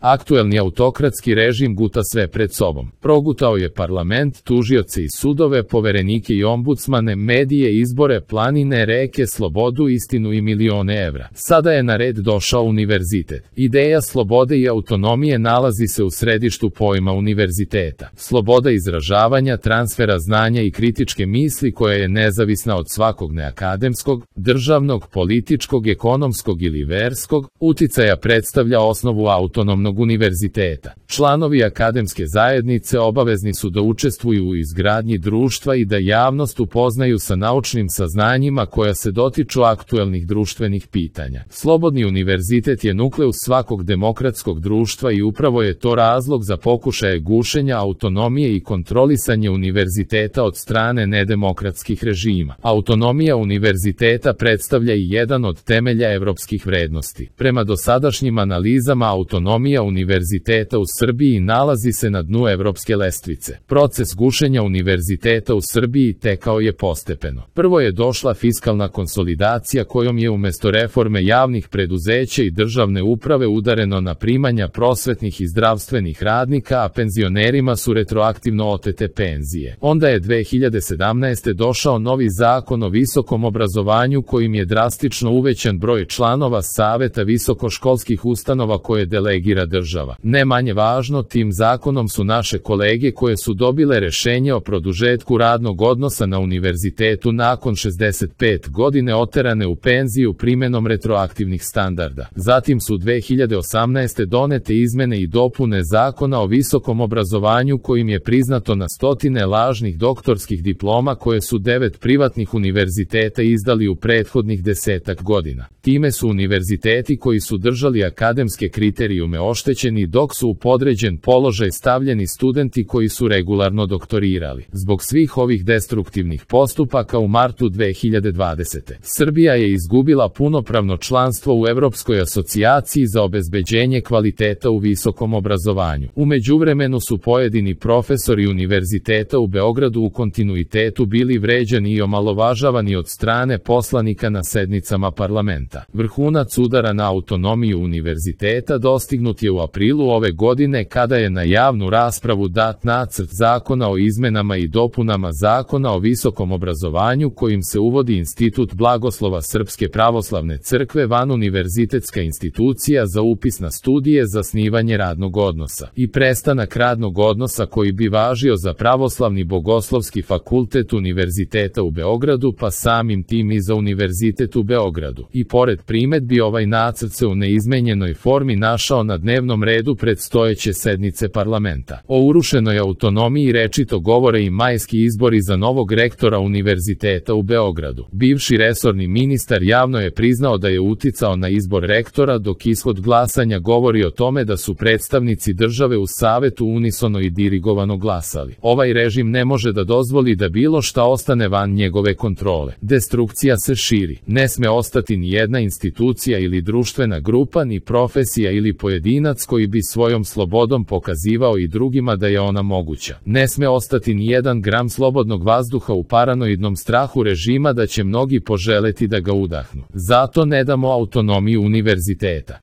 Aktuelni autokratski režim guta sve pred sobom. Progutao je parlament, tužioce i sudove, poverenike i ombudsmane, medije, izbore, planine, reke, slobodu, istinu i milione evra. Sada je na red došao univerzitet. Ideja slobode i autonomije nalazi se u središtu pojma univerziteta. Sloboda izražavanja, transfera znanja i kritičke misli koja je nezavisna od svakog neakademskog, državnog, političkog, ekonomskog ili verskog uticaja predstavlja osnovu autonomnog univerziteta. Članovi akademske zajednice obavezni su da učestvuju u izgradnji društva i da javnost upoznaju sa naučnim saznanjima koja se dotiču aktuelnih društvenih pitanja. Slobodni univerzitet je nukleus svakog demokratskog društva i upravo je to razlog za pokušaje gušenja autonomije i kontrolisanje univerziteta od strane nedemokratskih režima. Autonomija univerziteta predstavlja i jedan od temelja evropskih vrednosti. Prema dosadašnjim analizama, autonomija univerziteta u Srbiji nalazi se na dnu evropske lestvice. Proces gušenja univerziteta u Srbiji tekao je postepeno. Prvo je došla fiskalna konsolidacija kojom je umesto reforme javnih preduzeća i državne uprave udareno na primanja prosvetnih i zdravstvenih radnika, a penzionerima su retroaktivno otete penzije. Onda je 2017. došao novi zakon o visokom obrazovanju kojim je drastično uvećan broj članova saveta visokoškolskih ustanova koje delegira država. Ne manje važno, tim zakonom su naše kolege koje su dobile rešenje o produžetku radnog odnosa na univerzitetu nakon 65 godine oterane u penziju primenom retroaktivnih standarda. Zatim su 2018. donete izmene i dopune Zakona o visokom obrazovanju kojim je priznato na stotine lažnih doktorskih diploma koje su 9 privatnih univerziteta izdali u prethodnih 10 godina. Time su univerziteti koji su držali akademske kriterijume oštećeni, dok su u podređen položaj stavljeni studenti koji su regularno doktorirali. Zbog svih ovih destruktivnih postupaka u martu 2020. Srbija je izgubila punopravno članstvo u Evropskoj asocijaciji za obezbeđenje kvaliteta u visokom obrazovanju. U međuvremenu su pojedini profesori univerziteta u Beogradu u kontinuitetu bili vređani i omalovažavani od strane poslanika na sednicama parlamenta. Vrhunac udara na autonomiju univerziteta dostignut je u aprilu ove godine kada je na javnu raspravu dat nacrt zakona o izmenama i dopunama Zakona o visokom obrazovanju kojim se uvodi institut blagoslova Srpske pravoslavne crkve van univerzitetska institucija za upis na studije, zasnivanje radnog odnosa i prestanak radnog odnosa koji bi važio za Pravoslavni bogoslovski fakultet Univerziteta u Beogradu pa samim tim i za Univerzitet u Beogradu. I pored primedbi ovaj nacrt se u neizmenjenoj formi našao na dnevnom redu predstojeće sednice parlamenta. O urušenoj autonomiji rečito govore i majski izbori za novog rektora Univerziteta u Beogradu. Bivši resorni ministar javno je priznao da je uticao na izbor rektora, dok ishod glasanja govori o tome da su predstavnici države u savetu unisono i dirigovano glasali. Ovaj režim ne može da dozvoli da bilo šta ostane van njegove kontrole. Destrukcija se širi. Ne sme ostati ni jedna institucija ili društvena grupa, ni profesija ili pojedinac koji bi svojom slobodom pokazivao i drugima da je ona moguća. Ne sme ostati ni jedan gram slobodnog vazduha u paranoidnom strahu režima da će mnogi poželeti da ga udahnu. Zato ne damo autonomiju univerziteta.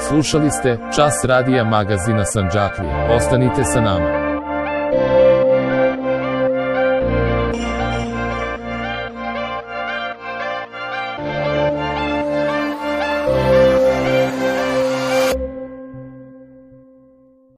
Slušali ste Čas radija magazina Sandžaklija. Ostanite sa nama.